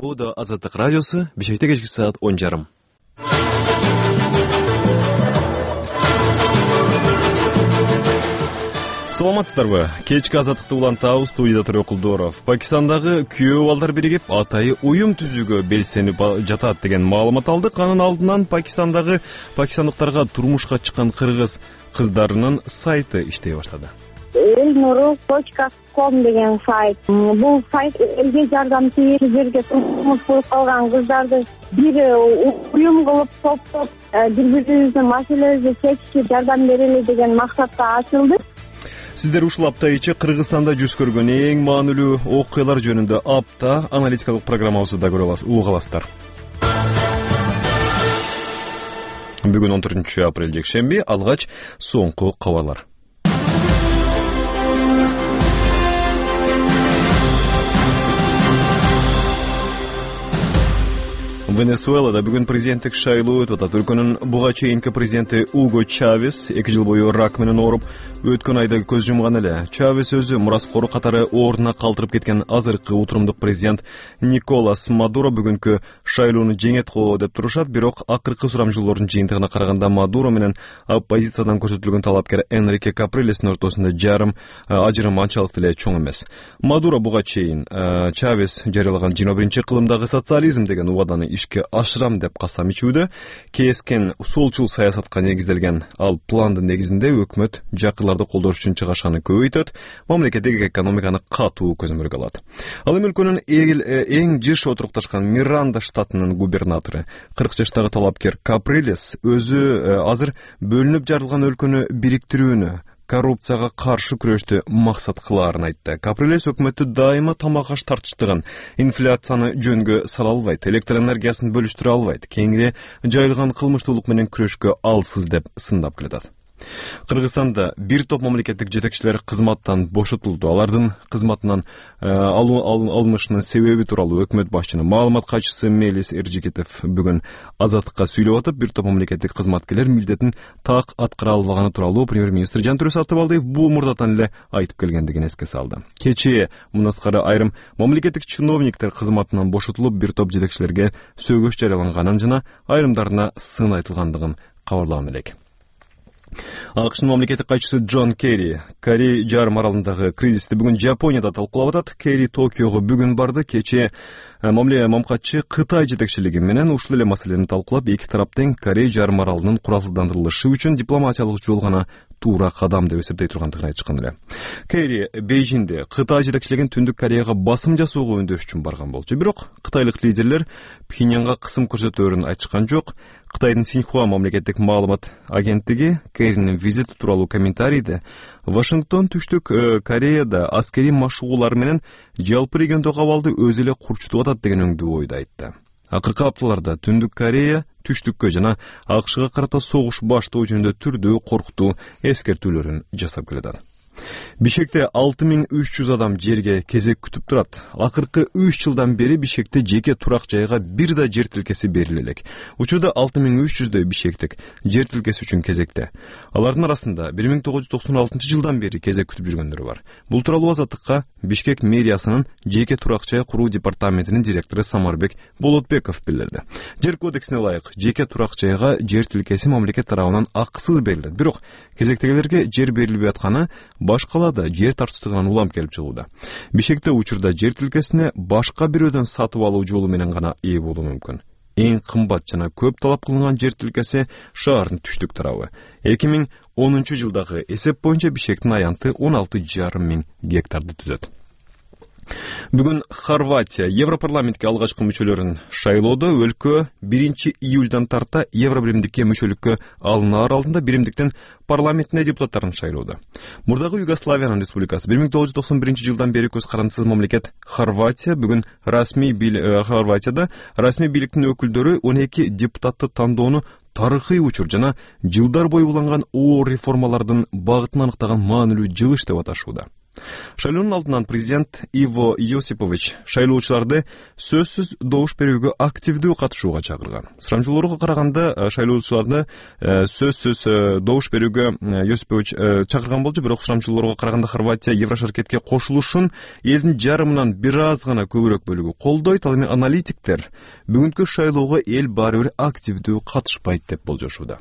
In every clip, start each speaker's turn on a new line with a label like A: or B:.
A: Буда Азаттык радиосу, Бишкекте кечки саат 10:30. Саламатсыздарбы? Кечки Азаттыкты улантабыз, студияда Төрө Кулдоров. Пакистандагы күйөө балдар биригип атайы уюм түзүүгө белсенип жатат деген маалымат алдык. Анын алдынан пакистандыктарга турмушка чыккан кыргыз кыздарынын сайты иштей баштады.
B: elnuru.com деген сайт. Бул сайт элге жардамчы жерге турмуш куруп калган кыздарды бир уюм кылып топтоп бири-бирибиздин маселебизди чечишке жардам берели деген максатта ачылды.
A: Сиздер ушул апта ичи Кыргызстанда жүз көргөн эң маанилүү окуялар жөнүндө апта аналитикалык программабызды уга аласыздар. Бүгүн 14 апрель жекшемби, алгач соңку кабарлар. Венесуэлада бүгүн президенттик шайлоо өтүп атат. Өлкөнүн буга чейинки президенти Уго Чавес 2 жыл бою рак менен ооруп, өткөн айда көз жумган эле. Чавес өзү мураскору катары ордуна калтырып кеткен азыркы утурумдук президент Николас Мадуро бүгүнкү шайлоону жеңет го деп турушат, бирок акыркы сурамжылоордун жыйынтыгына караганда Мадуро менен оппозициядан көрсөтүлгөн талапкер Энрике Каприлестин ортосунда ажырым анчалык эле чоң эмес. Мадуро буга чейин Чавес жарыялаган 21-кылымдагы социализм деген убаданы ишке ашырам деп касам ичүүдө, кескен солчул саясатка негизделген ал пландын негизинде өкмөт жакырларды колдош үчүн чыгашаны көбөйтөт, мамлекеттеги экономиканы катуу көзөмөлгө алат. Ал эми өлкөнүн эң жыш отурукташкан Миранда штатынын губернатору 40 жаштагы талапкер Каприлес өзү азыр бөлүнүп жарылган өлкөнү бириктирүүнү, коррупцияга каршы күрөштү максат кылаарын айтты. Каприлес өкмөттү дайыма тамак аш тартыштырган, инфляцияны жөнгө сала албайт, электр энергиясын бөлүштүрө албайт, кеңири жайылган кылмыштуулук менен күрөшкө алсыз деп сындап келатат. Кыргызстанда бир топ мамлекеттик жетекчилер кызматтан бошотулду. Алардын кызматынан алынышынын себеби тууралуу өкмөт башчынын маалымат катчысы Мелис Эржикетов бүгүн Азаттыкка сүйлөп атып, бир топ мамлекеттик кызматкерлер милдетин так аткара албаганы тууралуу премьер-министр Жантүрө Сатыбалдиев бул мурдатан эле айтып келгендигин эске салды. Кечээ мунаскары айрым мамлекеттик чиновниктер кызматынан бошотулуп, бир топ жетекчилерге сөгүш жарыяланганын жана айрымдарына сын айтылгандыгын кабарлаган элек. АКШнын мамлекеттик катчысы Джон Керри Корей жарым аралындагы кризисти бүгүн Жапонияда талкуулап атат. Керри Токиого бүгүн барды. Кечээ мамкатчы Кытай жетекчилиги менен ушул эле маселени талкуулап, эки тараптын Корей жарым аралынын куралсыздандырылышы үчүн дипломатиялык жол гана туура кадам деп эсептей тургандыгын айтышкан эле. Керри Бейжиңде Кытай жетекчилигин Түндүк Кореяга басым жасоого үндөш үчүн барган болчу. Бирок кытайлык лидерлер Пхеньянга кысым көрсөтөөрүн айтышкан жок. Кытайдын Синьхуа мамлекеттик маалымат агенттиги Керринин визити тууралуу комментарийде Вашингтон Түштүк Кореяда аскерий машыгуулар менен жалпы региондогу абалды өзү эле курчутуп атат деген өңдүү ойду айтты. Акыркы апталарда Түндүк Корея Түштүккө жана АКШга карата согуш баштоо жөнүндө түрдүү коркутуу эскертүүлөрүн жасап келет. Бишкекте 6300 адам жерге кезек күтүп турат. Акыркы 3 жылдан бери Бишкекте жеке турак жайга бир да жер тилкеси бериле элек. Учурда 6300дөй бишкектик жер тилкеси үчүн кезекте. Алардын арасында 1996 жылдан бери кезек күтүп жүргөндөр бар. Бул тууралуу Азаттыкка Бишкек мэриясынын жеке турак жай куруу департаментинин директору Самарбек Болотбеков билдирди. Жер кодексине ылайык жеке турак жайга жер тилкеси мамлекет тарабынан акысыз берилет. Бирок кезектегилерге жер берилбей атканы башкалада жер тартыштыгынан улам келип чыгууда. Бишкекте учурда жер тилкесине башка бирөөдөн сатып алуу жолу менен гана ээ болуу мүмкүн. Эң кымбат жана көп талап кылынган жер тилкеси шаардын түштүк тарабы. 2010 жылдагы эсеп боюнча Бишкектин аянты 16,5 миң гектарды түзөт. Бүгүн Хорватия Европарламентке алгачкы мүчөлөрүн шайлоодо. Өлкө 1 июлдан тарта Евробиримдикке мүчөлүккө алынаар алдында биримдиктин парламентине депутаттарын шайлоодо. Мурдагы Югославиянын республикасы 1991 жылдан бери көз карандысыз мамлекет Хорватия бүгүн Хорватияда расмий бийликтин өкүлдөрү 12 депутатты тандоону тарыхый учур жана жылдар бою уланган оор реформалардын багытын аныктаган маанилүү жылыш деп аташууда. Шайлоонун алдынан президент Иво Йосипович шайлоочуларды сөзсүз добуш берүүгө активдүү катышууга чакырган. Сурамжылоорго караганда шайлоочуларды сөзсүз добуш берүүгө Йосипович чакырган болчу, бирок сурамжылоорго караганда Хорватия Еврошаркетке кошулушун элдин жарымынан бир аз гана көбүрөөк бөлүгү колдойт. Ал эми аналитиктер бүгүнкү шайлоого эл баары бир активдүү катышпайт деп болжошууда.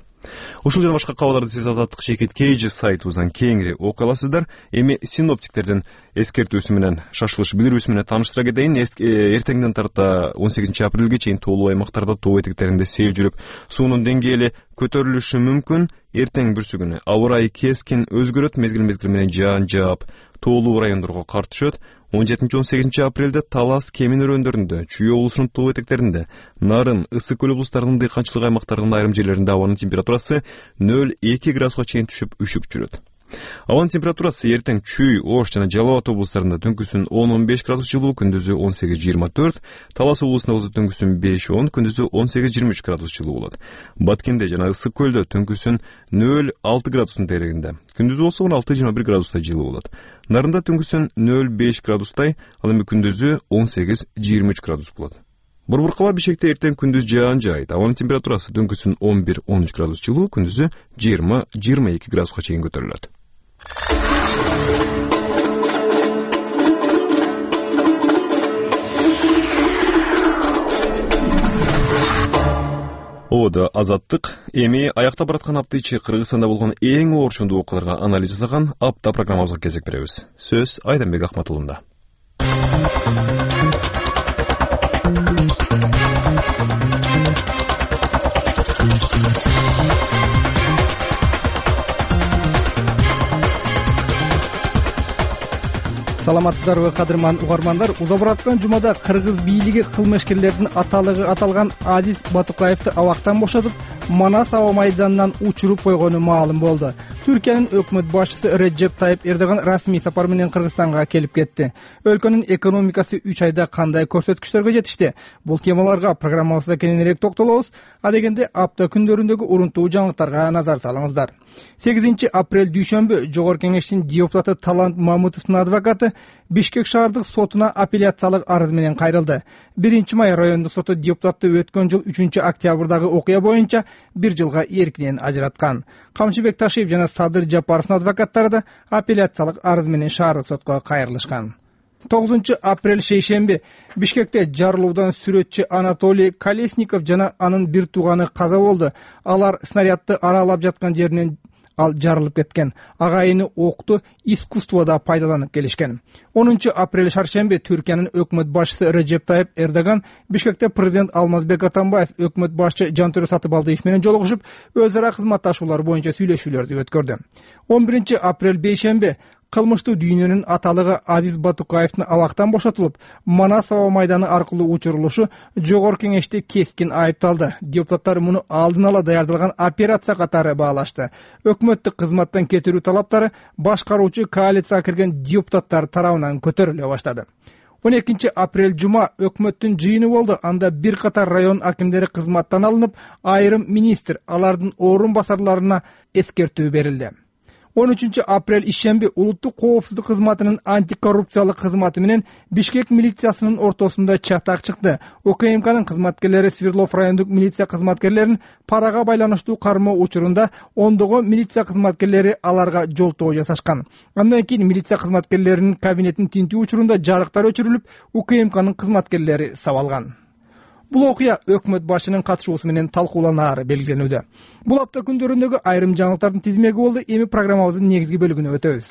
A: Ушул жана башка кабарларды сиз Азаттык Шейкет Кейжи сайтыбыздан кеңири окуй аласыздар. Эми синоптиктердин эскертүүсү менен, шашылыш билдирүүсү менен тааныштыра кетейин. Эртеңден тарта 18 апрелге чейин тоолуу аймактарда тоо этектеринде сел жүрүп, суунун деңгээли көтөрүлүшү мүмкүн. Эртең бүрсүгүнү аба ырайы кескин өзгөрөт, мезгил менен жаан жаап, тоолуу райондорго кар түшөт. 17-18 апрелде Талас Кемин өрөөндөрүндө, Чүй облусунун тоо этектеринде, Нарын, Ысык көл облустарынын дыйканчылык аймактарынын айрым жерлеринде абанын температурасы 0-2 градуска чейин түшүп, үшүк жүрөт. Абанын температурасы эртең Чүй, Ош жана Жалал Абад облустарында түнкүсүн 10-15 градус жылуу, күндүзү 18-24, Талас облусунда болсо түнкүсүн 5-10, күндүзү 18-23 градус жылуу болот. Баткенде жана Ысык көлдө түнкүсүн 0-6 градустун дерегинде, күндүзү болсо 16-21 градустай жылуу болот. Нарында түнкүсүн 0-5 градустай, ал эми күндүзү 18-23 градус болот. Борборкаба Бишкекте эртең күндүз жаан жаайт. Абанын температурасы түнкүсүн 11-13 градус жылуу, күндүзү 20-22 градуска чейин көтөрүлөт. Ода Азаттык эми аякта бараткан апта ичи Кыргызстанда болгон эң оорчундуу окуяларга анализ жасаган апта программабызга кезек беребиз. Сөз Айданбек Акматулунда.
C: Саламатсыздарбы, кадырман угармандар? Уза бараткан жумада кыргыз бийлиги кылмышкерлердин аталыгы аталган Азиз Батукаевди абактан бошотуп, Манас аба майданынан учуруп койгону маалым болду. Түркиянын өкмөт башчысы Реджеп Тайып Эрдоган расмий сапар менен Кыргызстанга келип кетти. Өлкөнүн экономикасы 3 айда кандай көрсөткүчтөргө жетишти? Бул темаларга программабызда кененирээк токтолобуз. Адегенде апта күндөрүндөгү урунтуу жаңылыктарга назар салыңыздар. 8 апрель дүйшөмбү Жогорку Кеңештин депутаты Талант Мамытовдун адвокаты Бишкек шаардык сотуна апелляциялык арыз менен кайрылды. 1 май райондук соту депутатты өткөн жыл 3 октябрдагы окуя боюнча 1 жылга эркинен ажыраткан. Камчыбек Ташиев жана Садыр Жапаровдун адвокаттары да апелляциялык арыз менен шаардык сотко кайрылышкан. 9 апрель шейшемби Бишкекте жарылуудан сүрөтчү Анатолий Колесников жана анын бир тууганы каза болду. Алар снарядды аралап жаткан жеринен жарылып кеткен. Агайыны окту искусствода пайдаланып келишкен. 10 апрель шаршемби Түркиянын өкмөт башчысы Реджеп Тайып Эрдоган Бишкекте президент Алмазбек Атамбаев өкмөт башчы Жантөрө Сатыбалдиев менен жолугушуп, өз ара кызматташуулар боюнча сүйлөшүүлөрдү өткөрдү. 11 апрель бейшемби кылмыштуу дүйнөнүн аталыгы Азиз Батукаевдин абактан бошотулуп, Манас аба майданы аркылуу учурулушу Жогорку Кеңеште кескин айыпталды. Депутаттар муну алдын ала даярдалган операция катары баалашты. Өкмөттүк кызматтан кетирүү талаптары башкаруучу коалицияга кирген депутаттар тарабынан көтөрүлө баштады. 12 апрель жума өкмөттүн жыйыны болду. Анда бир катар район акимдери кызматтан алынып, айрым министр, алардын орун басарларына эскертүү берилди. 13 апрель ишемби улуттук коопсуздук кызматынын антикоррупциялык кызматы менен Бишкек милициясынын ортосунда чатак чыкты. ОКМКнын кызматкерлери Свердлов райондук милиция кызматкерлерин парага байланыштуу кармоо учурунда ондогон милиция кызматкерлери аларга жолтоо жасашкан. Андан кийин милиция кызматкерлеринин кабинетин тинтүү учурунда жарыктар өчүрүлүп, УКМКнын кызматкерлери сабалган. Бул окуя өкмөт башчынын катышуусу менен талкууланаары белгиленүүдө. Бул апта күндөрүндөгү айрым жаңылыктардын тизмеги болду. Эми программабыздын негизги бөлүгүнө өтөбүз.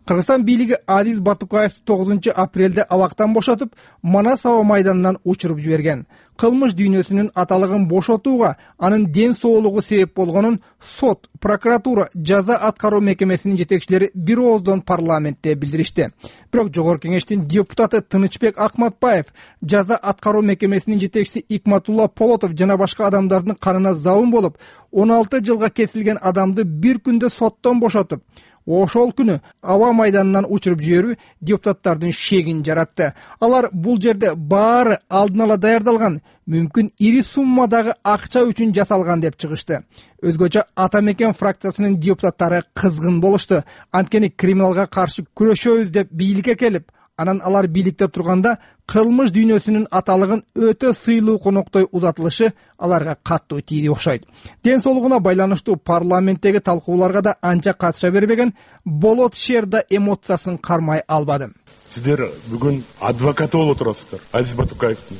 C: Кыргызстан бийлиги Азиз Батукаевди 9 апрелде абактан бошотуп, Манас аба майданынан учуруп жиберген. Кылмыш дүйнөсүнүн аталыгын бошотууга анын ден соолугу себеп болгонун сот, прокуратура, жаза аткаруу мекемесинин жетекчилери бир ооздон парламентте билдиришти. Бирок Жогорку Кеңештин депутаты Тынычбек Акматбаев, жаза аткаруу мекемесинин жетекчиси Икматулла Полотов жана башка адамдардын канына забын болуп, 16 жылга кесилген адамды бир күндө соттон бошотуп, ошол күнү аба майданынан учуруп жиберүү депутаттардын шегин жаратты. Алар бул жерде баары алдын ала даярдалган, мүмкүн ири суммадагы акча үчүн жасалган деп чыгышты. Өзгөчө Ата мекен фракциясынын депутаттары кызгын болушту. Анткени криминалга каршы күрөшөбүз деп бийликке келип, анан алар бийликте турганда кылмыш дүйнөсүнүн аталыгын өтө сыйлуу коноктой узатылышы аларга каттуу тийди окшойт. Ден соолугуна байланыштуу парламенттеги талкууларга да анча катыша бербеген Болот Шер да эмоциясын кармай албады.
D: Сиздер бүгүн адвокаты болуп турасыздар. Азиз Батукаевдин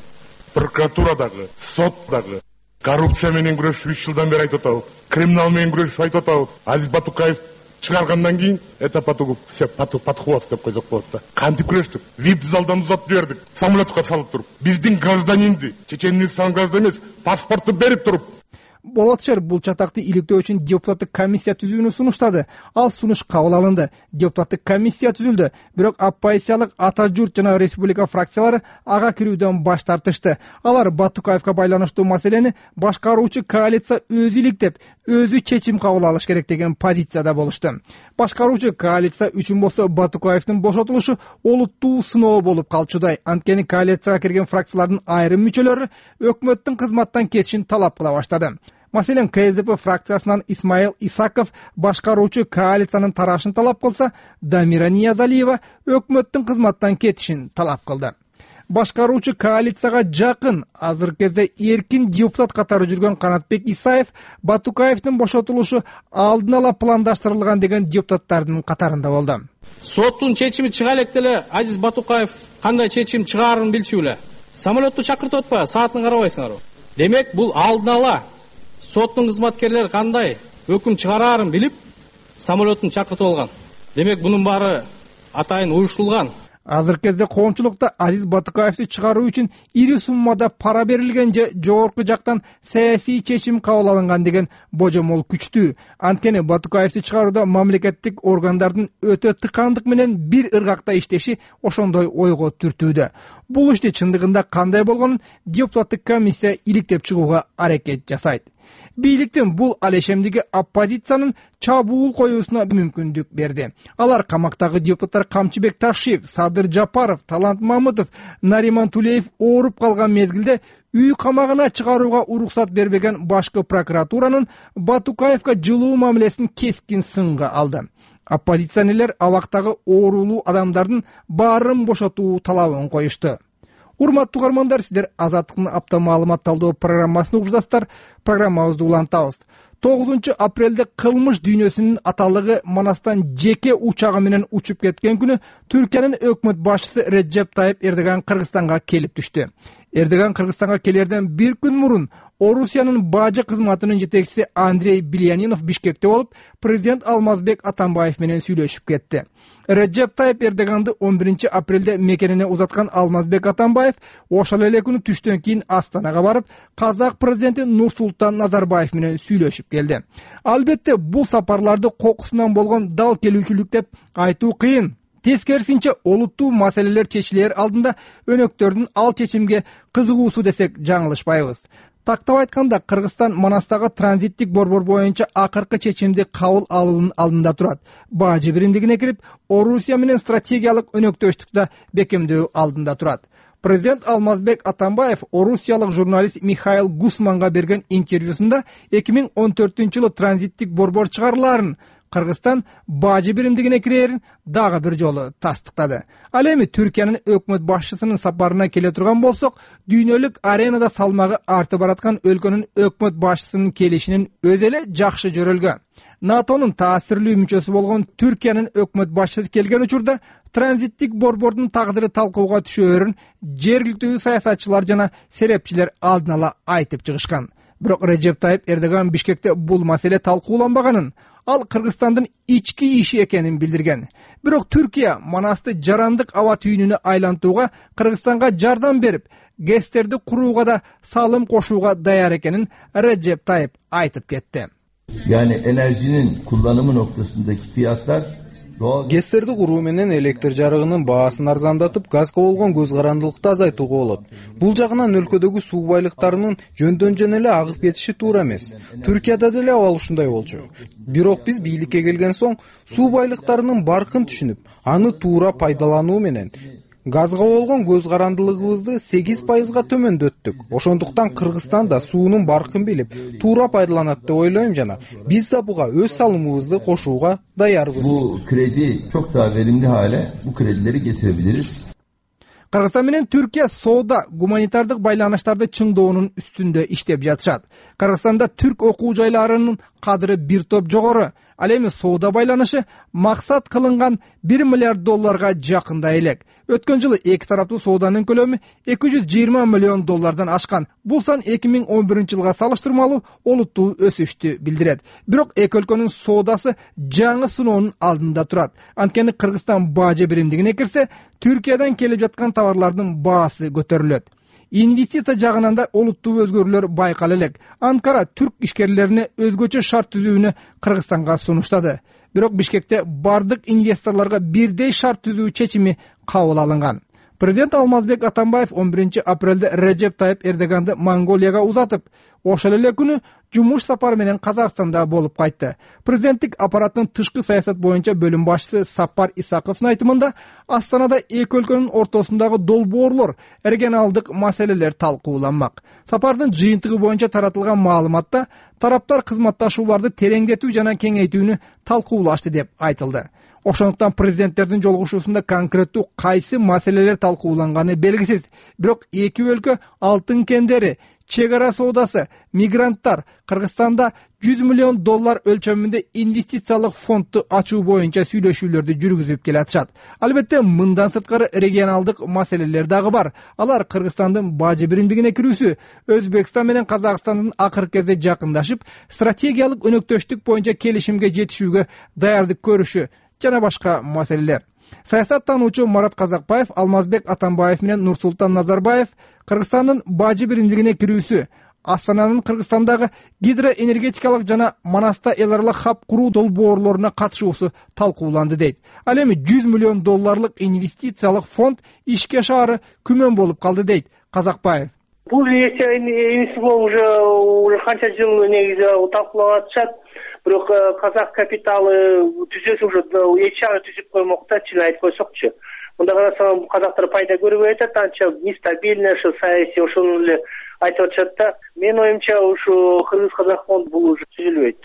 D: прокуратурадагы, соттагы коррупция менен күрөшүп 3 жылдан бери айтып атабыз. Криминал менен күрөшүп айтып атабыз. Азиз Батукаев чыгаргандан кийин это потугуп все патухуват деп койсок болот да. Кантип күрөштүк? Вип залдан узатып жибердик. Самолетка салып туруп, биздин гражданинди, Чеченстан гражданин эмес, паспорту берип туруп.
C: Болот Шер бул чатакты иликтөө үчүн депутаттык комиссия түзүүнү сунуштады. Ал сунуш кабыл алынды. Депутаттык комиссия түзүлдү. Бирок оппозициялык Ата журт жана Республика фракциялары ага кирүүдөн баш тартышты. Алар Батукаевга байланыштуу маселени башкаруучу коалиция өзү иликтеп, өзү чечим кабыл алыш керек деген позицияда болушту. Башкаруучу коалиция үчүн болсо Батукаевдин бошотулушу олуттуу сыноо болуп калчудай. Анткени коалицияга кирген фракциялардын айрым мүчөлөрү өкмөттүн кызматтан кетишин талап кыла баштады. Маселен, КСДП фракциясынан Исмаил Исаков башкаруучу коалициянын тарашын талап кылса, Дамира Ниязалиева өкмөттүн кызматтан кетишин талап кылды. Башкаруучу коалицияга жакын, азыркы кезде эркин депутат катары жүргөн Канатбек Исаев Батукаевдин бошотулушу алдын ала пландаштырылган деген депутаттардын катарында болду.
E: Соттун чечими чыга элек деле Азиз Батукаев кандай чечим чыгаарын билчү беле. Самолетту чакыртып атпайбы, саатын карабайсыңарбы? Демек, бул алдын ала соттун кызматкерлери кандай өкүм чыгараарын билип, самолеттун чакыртып алган. Демек, бунун баары атайын уюштулган.
C: Азыркы кезде коомчулукта Азиз Батукаевди чыгаруу үчүн ири суммада пара берилген же жогорку жактан саясий чечим кабыл алынган деген божомол күчтүү. Анткени Батукаевди чыгарууда мамлекеттик органдардын өтө тыкандык менен бир ыргакта иштеши ошондой ойго түртүүдө. Бул ишти чындыгында кандай болгонун депутаттык комиссия иликтеп чыгууга аракет жасайт. Бийликтин бул алешемдиги оппозициянын чабуул коюусуна мүмкүндүк берди. Алар камактагы депутаттар Камчыбек Ташиев, Садыр Жапаров, Талант Мамытов, Нариман Тулеев ооруп калган мезгилде үй камагына чыгарууга уруксат бербеген башкы прокуратуранын Батукаевга жылуу мамилесин кескин сынга алды. Оппозиционерлер абактагы оорулуу адамдардын баарын бошотуу талабын коюшту. Урматтуу угармандар, сиздер Азаттыктын апта маалымат талдоо программасын угуп жатасыздар. Программабызды улантабыз. 9 апрелде кылмыш дүйнөсүнүн аталыгы Манастан жеке учагы менен учуп кеткен күнү Түркиянын өкмөт башчысы Реджеп Тайып Эрдоган Кыргызстанга келип түштү. Эрдоган Кыргызстанга келерден бир күн мурун Орусиянын бажы кызматынын жетекчиси Андрей Билянинов Бишкекте болуп, президент Алмазбек Атамбаев менен сүйлөшүп кетти. Реджеп Тайып Эрдоганды 11 апрелде мекенине узаткан Алмазбек Атамбаев ошол эле күнү түштөн кийин Астанага барып, казак президенти Нурсултан Назарбаев менен сүйлөшүп келди. Албетте, бул сапарларды кокусунан болгон дал келүүчүлүк деп айтуу кыйын. Тескерисинче, олуттуу маселелер чечилер алдында өнөктөрдүн ал чечимге кызыгуусу десек жаңылышпайбыз. Тактап айтканда, Кыргызстан Манастагы транзиттик борбор боюнча акыркы чечимди кабыл алуунун алдында турат. Бажы биримдигине кирип, Орусия менен стратегиялык өнөктөштүктү бекемдөө алдында турат. Президент Алмазбек Атамбаев орусиялык журналист Михаил Гусманга берген интервьюсунда 2014-жылы транзиттик борбор чыгарыларын, Кыргызстан бажы биримдигине кирерин дагы бир жолу тастыктады. Ал эми Түркиянын өкмөт башчысынын сапарына келе турган болсок, дүйнөлүк аренада салмагы артып бараткан өлкөнүн өкмөт башчысынын келишинин өзү эле жакшы жөрөлгө. НАТОнун таасирлүү мүчөсү болгон Түркиянын өкмөт башчысы келген учурда транзиттик борбордун тагдыры талкууга түшөөрүн жергиликтүү саясатчылар жана серепчилер алдын ала айтып чыгышкан. Бирок Реджеп Тайып Эрдоган Бишкекте бул маселе талкууланбаганын, ал Кыргызстандын ички иши экенин билдирген. Бирок Түркия Манасты жарандык аба түйүнүнө айлантууга Кыргызстанга жардам берип, ГЭСтерди курууга да салым кошууга даяр экенин Реджеп Тайып айтып кетти.
F: Yani enerjinin kullanımı noktasındaki fiyatlar гэстерди куруу менен электр жарыгынын баасын арзандатып, газга болгон көз карандылыкты азайтууга болот. Бул жагынан өлкөдөгү суу байлыктарынын жөндөн эле агып кетиши туура эмес. Түркияда деле абал ушундай болчу. Бирок биз бийликке келген соң суу байлыктарынын баркын түшүнүп, аны туура пайдалануу менен газга болгон көз карандылыгыбызды 8%га төмөндөттүк. Ошондуктан Кыргызстан да суунун баркын билип, туура пайдаланат деп ойлойм жана биз да буга өз салымыбызды кошууга даярбыз.
G: Bu kredi çok daha verimli hale bu kredileri getirebiliriz.
C: Кыргызстан менен Түркия соода, гуманитардык байланыштарды чыңдоонун үстүндө иштеп жатышат. Кыргызстанда түрк окуу жайларынын кадыры бир топ жогору. Ал эми соода байланышы максат кылынган $1 миллиард жакындай элек. Өткөн жылы эки тараптуу сооданын көлөмү $220 миллион ашкан. Бул сан 2011 жылга салыштырмалуу олуттуу өсүштү билдирет. Бирок эки өлкөнүн соодасы жаңы сыноонун алдында турат. Анткени Кыргызстан бажы биримдигине кирсе, Түркиядан келип жаткан товарлардын баасы көтөрүлөт. Инвестиция жагынан да олуттуу өзгөрүүлөр байкала элек. Анкара түрк ишкерлерине өзгөчө шарт түзүүнү Кыргызстанга сунуштады. Бирок Бишкекте бардык инвесторлорго бирдей шарт түзүү чечими кабыл алынган. Президент Алмазбек Атамбаев 11 апрелде Режеп Тайып Эрдоганды Монголияга узатып, ошол эле күнү жумуш сапары менен Казакстанда болуп кайтты. Президенттик аппараттын тышкы саясат боюнча бөлүм башчысы Сапар Исаковдун айтымында, Астанада эки өлкөнүн ортосундагы долбоорлор, регионалдык маселелер талкууланмак. Сапардын жыйынтыгы боюнча таратылган маалыматта тараптар кызматташууларды тереңдетүү жана кеңейтүүнү талкуулашты деп айтылды. Ошондуктан президенттердин жолугушуусунда конкреттүү кайсы маселелер талкууланганы белгисиз. Бирок эки өлкө алтын кендери, чек ара соодасы, мигранттар, Кыргызстанда $100 миллион өлчөмүндө инвестициялык фондду ачуу боюнча сүйлөшүүлөрдү жүргүзүп келатышат. Албетте, мындан сырткары регионалдык маселелер дагы бар. Алар Кыргызстандын бажы биримдигине кирүүсү, Өзбекстан менен Казакстандын акыркы кезде жакындашып, стратегиялык өнөктөштүк боюнча келишимге жетишүүгө даярдык көрүшү жана башка маселелер. Саясаттануучу Марат Казакбаев, Алмазбек Атамбаев менен Нурсултан Назарбаев Кыргызстандын бажы биримдигине кирүүсү, Астананын Кыргызстандагы гидроэнергетикалык жана Манаста эл аралык хаб куруу долбоорлоруна катышуусу талкууланды дейт. Ал эми $100 миллион инвестициялык фонд ишке ашаары күмөн болуп калды дейт Казакбаев.
H: Бул инвестициялоо уже канча жыл негизи талкуулап атышат. Бирок казак капиталы түзөсү уже эч жагы түзүп коймок да, чын айтып койсокчу. Мында карасаң казактар пайда көрбөй атат, анча нестабильно, ошо саясий ошону эле айтып атышат да. Менин оюмча ушу Кыргыз-Казак фонд бул уже түзүлбөйт.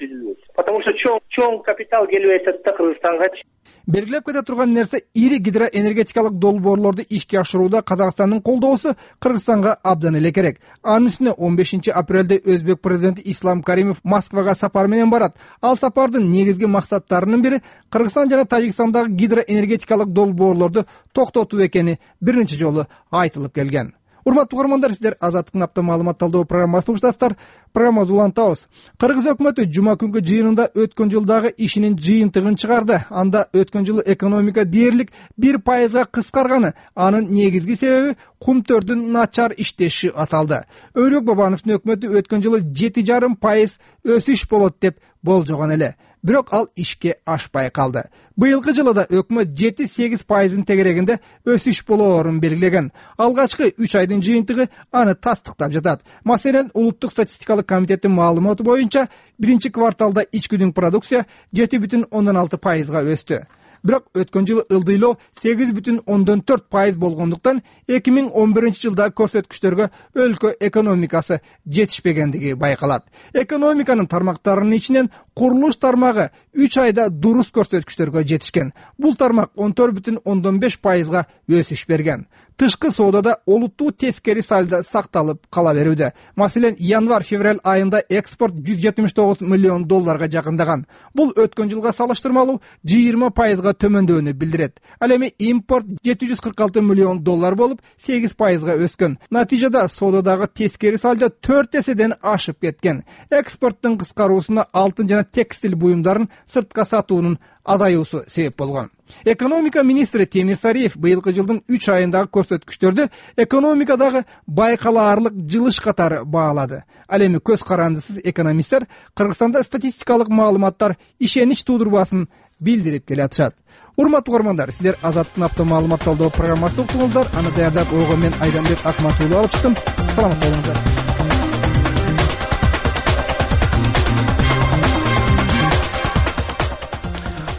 H: Потому что чоң капитал келип атат да Кыргызстангачы.
C: Белгилеп кете турган нерсе, ири гидроэнергетикалык долбоорлорду ишке ашырууда Казакстандын колдоосу Кыргызстанга абдан эле керек. Анын үстүнө 15 апрелде Өзбек президенти Ислам Каримов Москвага сапар менен барат. Ал сапардын негизги максаттарынын бири Кыргызстан жана Тажикстандагы гидроэнергетикалык долбоорлорду токтотуу экени биринчи жолу айтылып келген. Урматтуу угармандар, сиздер Азаттыктын апта маалымат талдоо программасын угуштасыздар. Программабызды улантабыз. Кыргыз өкмөтү жума күнгү жыйынында өткөн жылдагы ишинин жыйынтыгын чыгарды. Анда өткөн жылы экономика дээрлик 1%га кыскарганы, анын негизги себеби кумтөрдүн начар иштеши аталды. Өрөк Бабановдун өкмөтү өткөн жылы 7,5% өсүш болот деп болжогон эле. Бирок ал ишке ашпай калды. Быйылкы жылы да өкмөт 7-8%ын тегерегинде өсүш болоорун белгилеген. Алгачкы 3 айдын жыйынтыгы аны тастыктап жатат. Маселен, Улуттук статистикалык комитеттин маалыматы боюнча, биринчи кварталда ичкүдүн продукция 7,6%га өстү. Бирок өткөн жылы ылдыйлоо 8,4% болгондуктан 2011 жылда көрсөткүчтөргө өлкө экономикасы жетишпегендиги байкалат. Экономиканын тармактарынын ичинен курулуш тармагы 3 айда дурус көрсөткүчтөргө жетишкен. Бул тармак 14,5%га өсүш берген. Тышкы соодада олуттуу тескери сальдо сакталып кала берүүдө. Маселен, январь-февраль айында экспорт $179 миллион жакындаган. Бул өткөн жылга салыштырмалуу 20%га төмөндөөнү билдирет. Ал эми импорт $746 миллион болуп 8%га өскөн. Натыйжада соодадагы тескери сальдо 4 эседен ашып кеткен. Экспорттун кыскаруусуна алтын жана текстиль буюмдарын сыртка сатуунун азаюусу себеп болгон. Экономика министри Темир Сариев быйылкы жылдын 3 айындагы көрсөткүчтөрдү экономикадагы байкалаарлык жылыш катары баалады. Ал эми көз карандысыз экономисттер Кыргызстанда статистикалык маалыматтар ишенич туудурбасын билдирип келатышат. Урматтуу угармандар, сиздер Азаттыктын апта маалымат талдоо программасын уктуңуздар. Аны даярдап ойгон мен Айданбек Акматуллу алып чыктым. Саламат болуңуздар.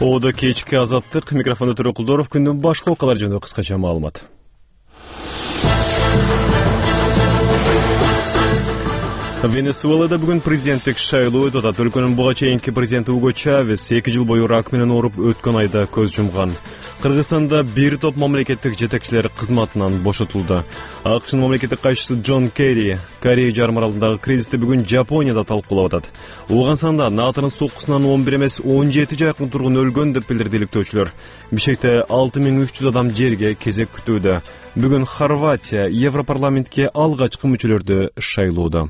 A: Оодо кечки Азаттык, микрофондо Төрөкулдоров. Күндүн башка окуялары жөнүндө кыскача маалымат. Венесуэлада бүгүн президенттик шайлоо өтүп атат. Өлкөнүн буга чейинки президенти Уго Чавес 2 жыл бою рак менен ооруп өткөн айда көз жумган. Кыргызстанда бир топ мамлекеттик жетекчилер кызматынан бошотулду. АКШнын мамлекеттик кайшысы Джон Керри Корея жарым аралындагы кризисти бүгүн Жапонияда талкуулап атат. Ооганстанда НАТОнун соккусунан 11 эмес 17 жакын тургун өлгөн деп билдирди иликтөөчүлөр. Бишкекте 6300 адам жерге кезек күтүүдө. Бүгүн Хорватия Европарламентке алгачкы мүчөлөрдү шайлоодо.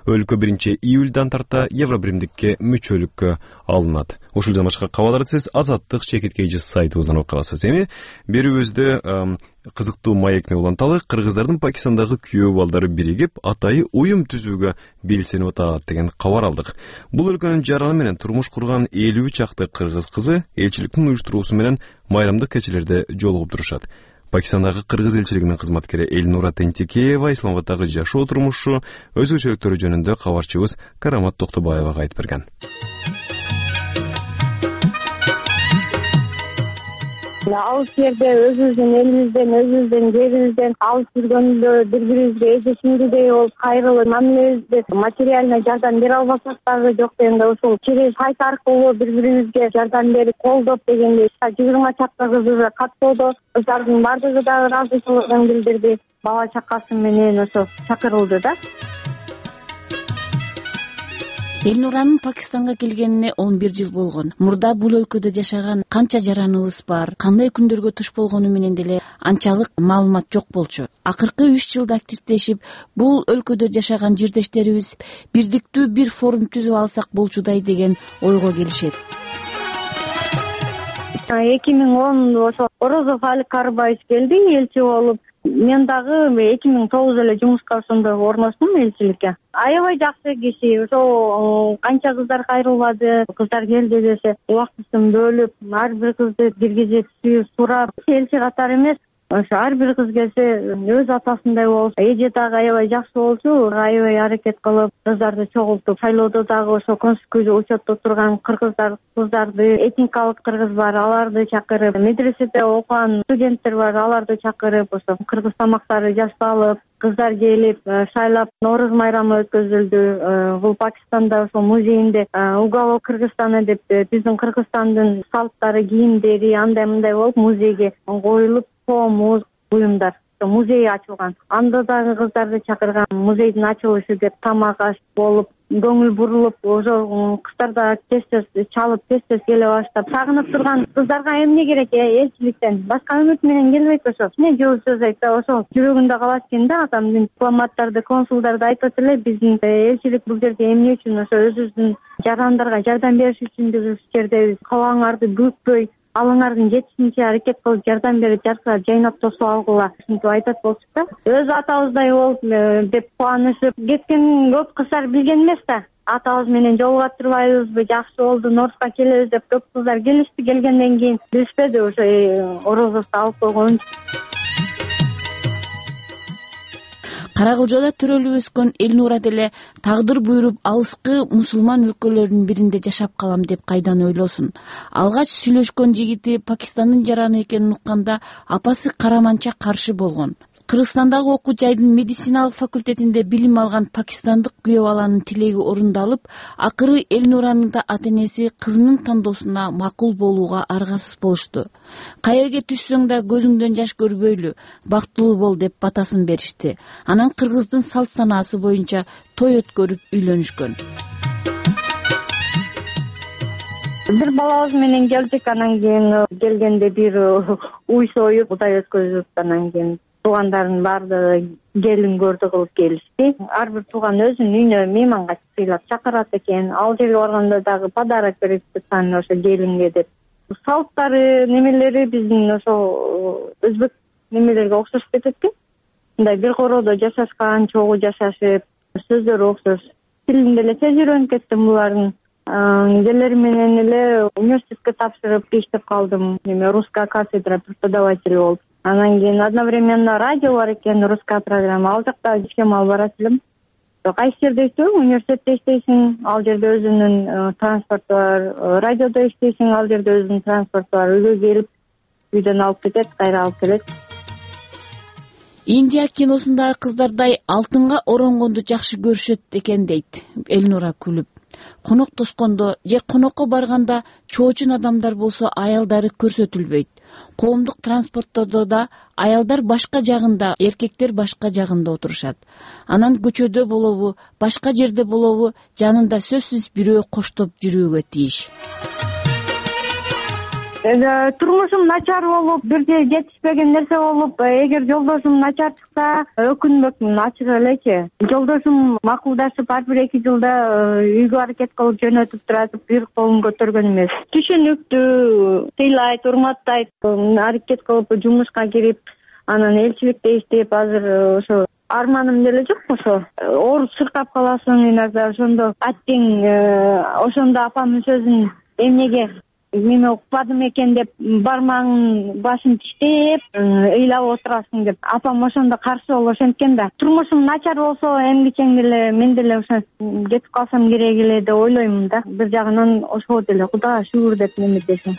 A: Өлкө 1-июлдан тарта Евробиримдикке мүчөлүккө алынат. Ушул жана башка кабарларды сиз Азаттык чекиткейжи сайтыбыздан окуп аласыз. Эми берүүбүздө кызыктуу маек менен уланталы. Кыргыздардын Пакистандагы күйөө балдары биригип атайы уюм түзүүгө белсенип атат деген кабар алдык. Бул өлкөнүн жараны менен турмуш курган 50 чакты кыргыз кызы элчиликтин уюштуруусу менен майрамдык кечелерде жолугуп турушат. Пакистандагы кыргыз элчилигинин кызматкери Эльнура Тентикеева Исламабаддагы жашоо турмушу, өзгөчөлүктөрү жөнүндө кабарчыбыз Карамат Токтобаевага айтып берген.
B: Алыс жерде өзүбүздүн элибизден, өзүбүздүн жерибизден алыс жүргөндө бири-бирибизге эжешимдидей болуп кайрылып, мамилебизди материальный жардам бере албасак дагы жок дегенде ушул через сайт аркылуу бири-бирибизге жардам берип, колдоп дегендей 20 чакта кыз уже каттоодо, кыздардын баардыгы дагы ыраазычылыгын билдирди. Бала чакасы менен ошо чакырылды да.
I: Эльнуранын Пакистанга келгенине 11 жыл болгон. Мурда бул өлкөдө жашаган канча жараныбыз бар, кандай күндөргө туш болгону менен деле анчалык маалымат жок болчу. Акыркы 3 жылда активдешип, бул өлкөдө жашаган жирдештерибиз бирдиктүү бир форум түзүп алсак болчудай деген ойго келишет.
B: 2010 ошо Орозов Али Карбаевич келди элчи болуп. Мен дагы 2009 эле жумушка ошондо орноштум элчиликке. Аябай жакшы киши, ошо канча кыздар кайрылбады, кыздар келди десе, убактысын бөлүп, ар бир кызды киргизип, сүйүп, сурап, элчи катары эмес, ошо ар бир кыз келсе өз атасындай болуп, эже дагы аябай жакшы болчу, аябай аракет кылып, кыздарды чогултуп, шайлоодо дагы ошо конституцияда учетто турган кыздарды, этникалык кыргыз бар, аларды чакырып, медреседе окуган студенттер бар, аларды чакырып, ошо кыргыз тамактары жасалып, кыздар келип, шайлап, Нооруз майрамы өткөзүлдү. Бул Пакистанда ошо музейинде уголок Кыргызстана деп биздин Кыргызстандын салттары, кийимдери андай-мындай болуп музейге коюлуп, муз буюмдар музей ачылган. Анда дагы кыздарды чакырган, музейдин ачылышы деп тамак аш болуп, көңүл бурулуп, ошо кыздар да тез-тез чалып, тез-тез келе баштап, сагынып турган кыздарга эмне керек элчиликтен? Башка үмүт менен келбейт ошо. Эмне жол сөз айтса, ошо жүрөгүндө калат экен да, адамдын дипломаттарды, консулдарды айтат эле, биздин элчилик бул жерде эмне үчүн, ошо өзүбүздүн жарандарга жардам бериш үчүн биз жердебиз. Кабагыңарды бүкпөй, алыңардын жетишинче аракет кылып жардам берип, жарса жайнап тосуп алгыла, ушинтип айтат болчук да. Өз атабыздай болуп деп кубанышып кеткен көп кыздар билген эмес да. Атабыз менен жолуга турбайбызбы, жакшы болду, Норузга келебиз деп көп кыздар келишти, келгенден кийин билишпеди ошо Орозовду алып койгон.
I: Каракылжада төрөлүп өскөн Эльнура деле тагдыр буйруп алыскы мусулман өлкөлөрүнүн биринде жашап калам деп кайдан ойлосун. Алгач сүйлөшкөн жигити Пакистандын жараны экенин укканда апасы караманча каршы болгон. Кыргызстандагы окуу жайдын медициналык факультетинде билим алган пакистандык күйөө баланын тилеги орундалып, акыры Эльнуранын да ата-энеси кызынын тандоосуна макул болууга аргасыз болушту. Каерге түшсөң да көзүңдөн жаш көрбөйлү, бактылуу бол деп батасын беришти. Анан кыргыздын салт санаасы боюнча той өткөрүп үйлөнүшкөн.
B: Бир балабыз менен келдик, анан кийин келгенде бир уй союп, кудай өткөзүп, анан кийин туугандардын баардыгы келин көрдү кылып келишти. Ар бир тууган өзүнүн үйүнө мейманга сыйлап чакырат экен. Ал жерге барганда дагы подарок берип турган ошо келинге деп. Салттары, немелери биздин ошо өзбек немелерге окшошуп кетет экен. Мындай бир короодо жашашкан, чогуу жашашып, сөздөрү окшош. Тилин деле тез үйрөнүп кеттим булардын. Келер менен эле университетке тапшырып иштеп калдым. Русская кафедра преподаватель болуп. Анан кийин одновременно радио бар экен, русская программа. Ал жакта ишкем алып барат элем. Кайсы жерде иштейм? Университетте иштейсиң, ал жерде өзүнүн транспорту бар. Радиодо иштейсиң, ал жерде өзүнүн транспорту бар. Үйгө келип, үйдөн алып кетет, кайра алып келет.
I: Индия киносундагы кыздардай алтынга оронгонду жакшы көрүшөт экен дейт Элнура күлүп. Конок тоскондо же конокко барганда чоочун адамдар болсо аялдары көрсөтүлбөйт. Коомдук транспорттордо да аялдар башка жагында, эркектер башка жагында отурушат. Анан көчөдө болобу, башка жерде болобу, жанында сөзсүз бирөө коштоп жүрүүгө тийиш.
B: Турмушум начар болуп, бирде жетишпеген нерсе болуп, эгер жолдошум начар чыкса, өкүнбөкмүн, ачык элечи. Жолдошум макулдашып, ар бир 2 жылда үйгө аракет кылып жөнөтүп турат, бир колун көтөргөн эмес. Түшүнүктүү, тыйлайт, урматтайт, аракет кылып жумушка кирип, анан элчиликте иштеп, азыр ошо арманым деле жок ошо. Ооруп чыркап каласың, иногда ошондо аттең, ошондо апамдын сөзүн эмнеге мен укпадым экен деп бармагын башын тиштеп ыйлап отурасың деп апам ошондо каршы болуп ошенткен да. Турмушум начар болсо эмгичең деле мен деле ошо кетип калсам керек эле деп ойлоймун да. Бир жагынан ошого деле Кудайга шүгүр деп неметесиң.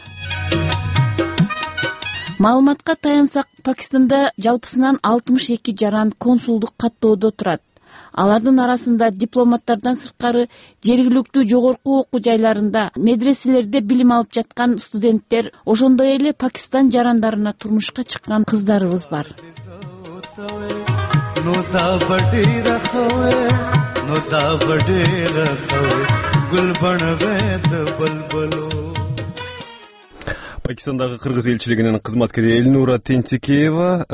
I: Маалыматка таянсак, Пакистанда жалпысынан 62 жаран консулдук каттоодо турат. Алардын арасында дипломаттардан сырткары жергиликтүү жогорку окуу жайларында, медреселерде билим алып жаткан студенттер, ошондой эле Пакистан жарандарына турмушка чыккан кыздарыбыз бар.
A: Пакистандагы кыргыз элчилигинин кызматкери Элнура Тентикеева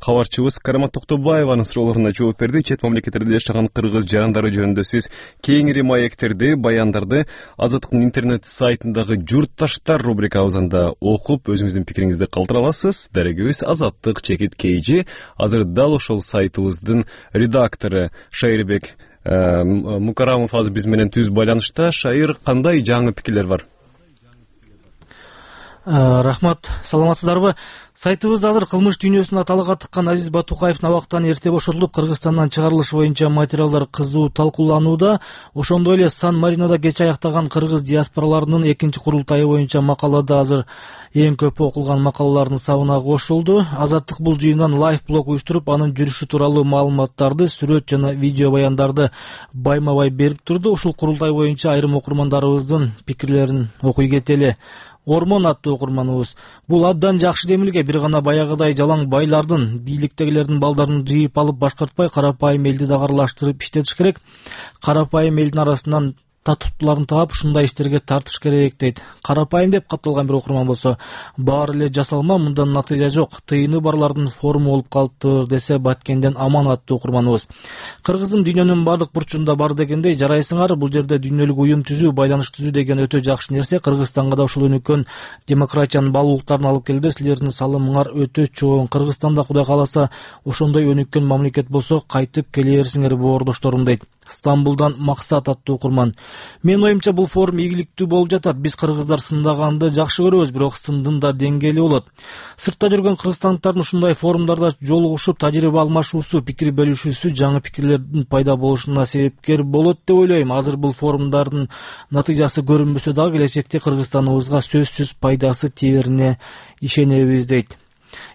A: кабарчыбыз Карамат Токтобаеванын суроолоруна жооп берди. Чет мамлекеттерде жашаган кыргыз жарандары жөнүндө сиз кеңири маектерди, баяндарды Азаттыктын интернет сайтындагы журтташтар рубрикабызында окуп, өзүңүздүн пикириңизди калтыра аласыз. Дарегибиз Азаттык чекит KG. Азыр дал ошол сайтыбыздын редактору Шайырбек Мукарамов азыр биз менен түз байланышта. Шайыр, кандай жаңы пикирлер бар?
J: Рахмат, саламатсыздарбы? Сайтыбыз азыр кылмыш дүйнөсүнө талага тыккан Азиз Батукаевдин абактан эрте бошотулуп, Кыргызстандан чыгарылышы боюнча материалдар кызуу талкууланууда. Ошондой эле Сан-Маринода кеч аяктаган кыргыз диаспораларынын 2-курултайы боюнча макалада азыр эң көп окулган макалалардын сабына кошулду. Азаттык бул жыйындан лайф-блог уюштуруп, анын жүрүшү тууралуу маалыматтарды, сүрөт жана видео баяндарды байма-бай берип турду. Ушул курултай боюнча айрым окурмандарыбыздын пикирлерин окуй кетели. Ормон аттуу окурманыбыз: бул абдан жакшы демилге, бир гана баягыдай жалаң байлардын, бийликтегилердин балдарын жыйып алып башкартпай, карапайым элди да аралаштырып иштетиш керек. Карапайым элдин арасынан татыктууларын таап, ушундай иштерге тартыш керек дейт. Карапайым деп катталган бир окурман болсо, баары эле жасалма, мындан натыйжа жок, тыйыны барлардын форму болуп калыптыр десе, Баткенден Аман аттуу окурманыбыз: кыргыздын дүйнөнүн бардык бурчунда бар дегендей, жарайсыңар, бул жерде дүйнөлүк уюм түзүү, байланыш түзүү деген өтө жакшы нерсе. Кыргызстанга да ушул өнүккөн демократиянын баалуулуктарын алып келди. Силердин салымыңар өтө чоң. Кыргызстанда Кудай кааласа ошондой өнүккөн мамлекет болсо, кайтып келе берсиңер боордошторум дейт. Стамбулдан Максат аттуу окурман: мен оюмча бул форум ийгиликтүү болуп жатат. Биз кыргыздар сындаганды жакшы көрөбүз, бирок сындын да деңгээли болот. Сыртта жүргөн кыргызстандыктардын ушундай форумдарда жолугушуп, тажрыйба алмашуусу, пикир бөлүшүүсү жаңы пикирлердин пайда болушуна себепкер болот деп ойлойм. Азыр бул форумдардын натыйжасы көрүнбөсө дагы, келечекте Кыргызстаныбызга сөзсүз пайдасы тиерине ишенебиз дейт.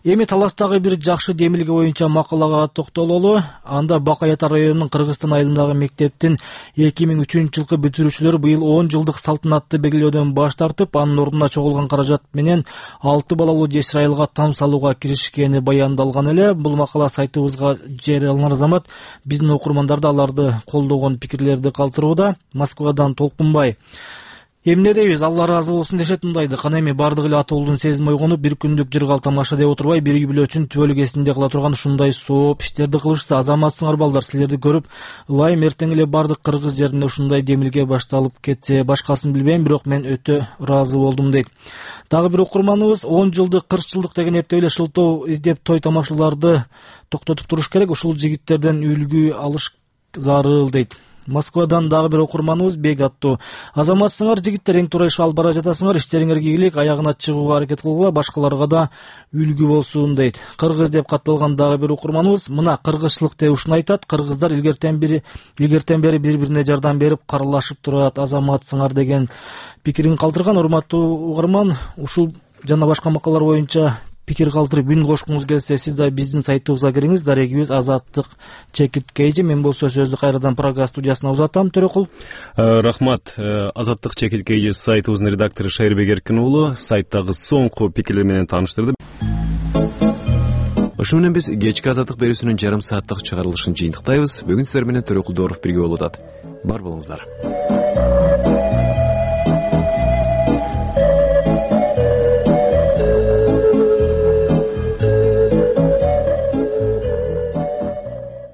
J: Эми таластагы бир жакшы демилге боюнча макалага токтололу. Анда Бак Аята районунун Кыргызстан айылындагы мектептин 2003-жылкы бүтүрүүчүлөрү быйыл 10 жылдык салтанатты белгилөөдөн баш тартып, анын ордуна чогулган каражат менен 6 балалуу жесир айылга там салууга киришкени баяндалган эле. Бул макала сайтыбызга жарыяланар замат биздин окурмандарды аларды колдогон пикирлерди калтырууда. Москвадан Толкунбай: эмне дейбиз, Алла ыраазы болсун дешет мындайды. Кана эми бардыгы эле атуулдун сезими ойгонуп, бир күндүк жыргал тамаша деп отурбай, бир үй бүлөчүн түбөлүгесинде кыла турган ушундай сооп иштерди кылышса, азаматсыңар балдар, силерди көрүп ылайым, эртең эле бардык кыргыз жеринде ушундай демилге башталып кетсе. Башкасын билбейм, бирок мен өтө ыраазы болдум дейт. Дагы бир окурманыбыз: 10 жылдык, 40 жылдык деген эптеп эле шылтоо издеп той тамашаларды токтотуп туруш керек. Ушул жигиттерден үлгү алыш зарыл дейт. Москвадан дагы бир окурманыбыз Бек аттуу. Азаматсыңар жигиттер, эң туура иш алып бара жатасыңар, иштериңерге ийгилик, аягына чыгууга аракет кылгыла, башкаларга да үлгү болсун дейт. Кыргыз деп катталган дагы бир окурманыбыз мына кыргызчылык деп ушуну айтат. Кыргыздар илгертен бери бири-бирине жардам берип, каралашып турат. Азаматсыңар деген пикирин калтырган. Урматтуу угарман, ушул жана башка макалалар боюнча пикир калтырып үн кошкуңуз келсе, сиз да биздин сайтыбызга кириңиз. Дарегибиз Азаттык ЧК. Мен болсо сөздү кайрадан Прага студиясына узатам. Төрөкул.
A: Рахмат. Азаттык ЧК сайтыбыздын редактору Шайырбек Эркин уулу сайттагы соңку пикирлер менен тааныштырды. Ошо менен биз кечки Азаттык берүүсүнүн жарым сааттык чыгарылышын жыйынтыктайбыз. Бүгүн сиздер менен Төрөкул Дооров бирге болуп атат. Бар болуңуздар.